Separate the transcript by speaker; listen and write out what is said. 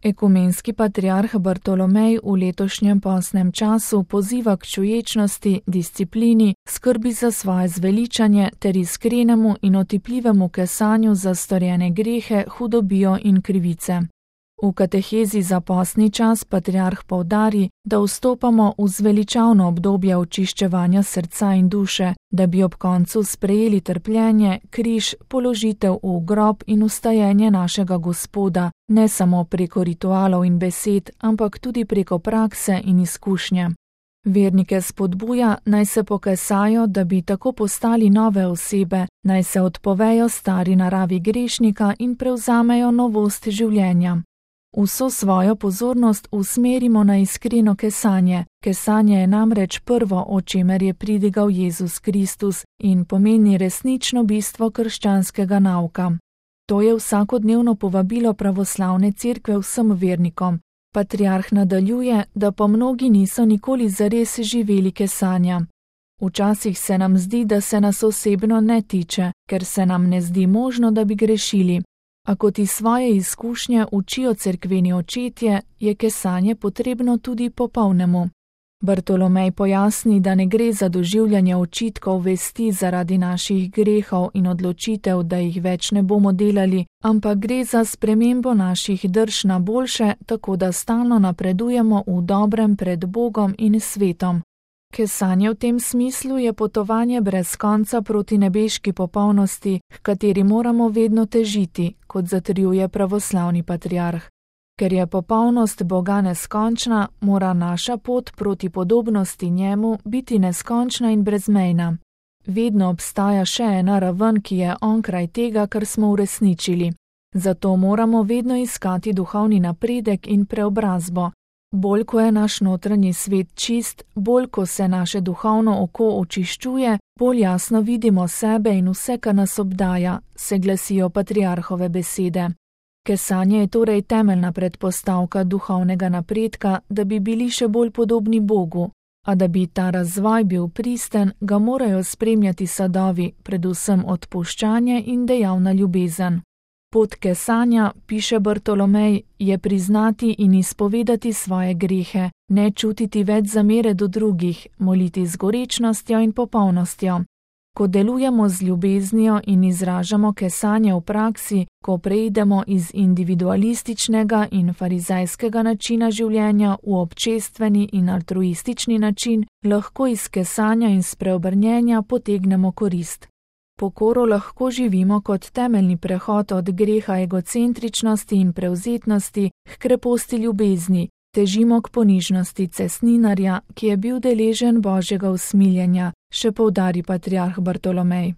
Speaker 1: Ekumenski patriarh Bartolomej v letošnjem postnem času poziva k čuječnosti, disciplini, skrbi za svoje zveličanje ter iskrenemu in otipljivemu kesanju za storjene grehe, hudobijo in krivice. V katehezi za postni čas patriarh poudari, da vstopamo v zveličavno obdobje očiščevanja srca in duše, da bi ob koncu sprejeli trpljenje, križ, položitev v grob in vstajenje našega Gospoda, ne samo preko ritualov in besed, ampak tudi preko prakse in izkušnje. Vernike spodbuja, naj se pokesajo, da bi tako postali nove osebe, naj se odpovejo stari naravi grešnika in prevzamejo novost življenja. Vso svojo pozornost usmerimo na iskreno kesanje. Kesanje je namreč prvo, o čemer je pridigal Jezus Kristus in pomeni resnično bistvo krščanskega nauka. To je vsakodnevno povabilo pravoslavne cerkve vsem vernikom. Patriarh nadaljuje, da pa mnogi niso nikoli zares živeli kesanja. Včasih se nam zdi, da se nas osebno ne tiče, ker se nam ne zdi možno, da bi grešili. A kot iz svoje izkušnje učijo cerkveni očetje, je kesanje potrebno tudi popolnemu. Bartolomej pojasni, da ne gre za doživljanje očitkov vesti zaradi naših grehov in odločitev, da jih več ne bomo delali, ampak gre za spremembo naših drž na boljše, tako da stalno napredujemo v dobrem pred Bogom in svetom. Kesanje v tem smislu je potovanje brez konca proti nebeški popolnosti, h kateri moramo vedno težiti, kot zatrjuje pravoslavni patriarh. Ker je popolnost Boga neskončna, mora naša pot proti podobnosti njemu biti neskončna in brezmejna. Vedno obstaja še ena raven, ki je onkraj tega, kar smo uresničili. Zato moramo vedno iskati duhovni napredek in preobrazbo. Bolj ko je naš notranji svet čist, bolj ko se naše duhovno oko očiščuje, bolj jasno vidimo sebe in vse, kar nas obdaja, se glasijo patriarhove besede. Kesanje je torej temeljna predpostavka duhovnega napredka, da bi bili še bolj podobni Bogu, a da bi ta razvoj bil pristen, ga morajo spremljati sadovi, predvsem odpuščanje in dejavna ljubezen. Pot kesanja, piše Bartolomej, je priznati in izpovedati svoje grehe, ne čutiti več zamere do drugih, moliti z gorečnostjo in popolnostjo. Ko delujemo z ljubeznijo in izražamo kesanje v praksi, ko preidemo iz individualističnega in farizejskega načina življenja v občestveni in altruistični način, lahko iz kesanja in spreobrnjenja potegnemo korist. Pokoro lahko živimo kot temeljni prehod od greha egocentričnosti in prevzetnosti k kreposti ljubezni, težimo k ponižnosti cestninarja, ki je bil deležen Božjega usmiljenja, še poudari patriarh Bartolomej.